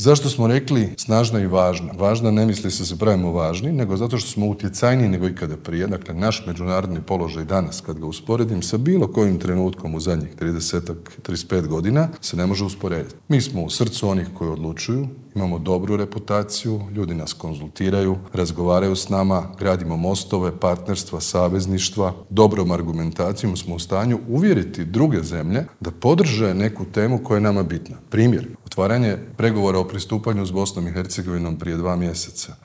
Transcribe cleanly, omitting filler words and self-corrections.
Zašto smo rekli snažna i važna? Važna ne misli se pravimo važni, nego zato što smo utjecajniji nego ikada prije. Dakle, naš međunarodni položaj danas, kad ga usporedim sa bilo kojim trenutkom u zadnjih 35 godina, se ne može usporediti. Mi smo u srcu onih koji odlučuju, imamo dobru reputaciju, ljudi nas konzultiraju, razgovaraju s nama, gradimo mostove, partnerstva, savezništva, dobrom argumentacijom smo u stanju uvjeriti druge zemlje da podrže neku temu koja je nama bitna. Primjer, otvaranje pregovora o pristupanju s Bosnom i Hercegovinom prije 2 mjeseca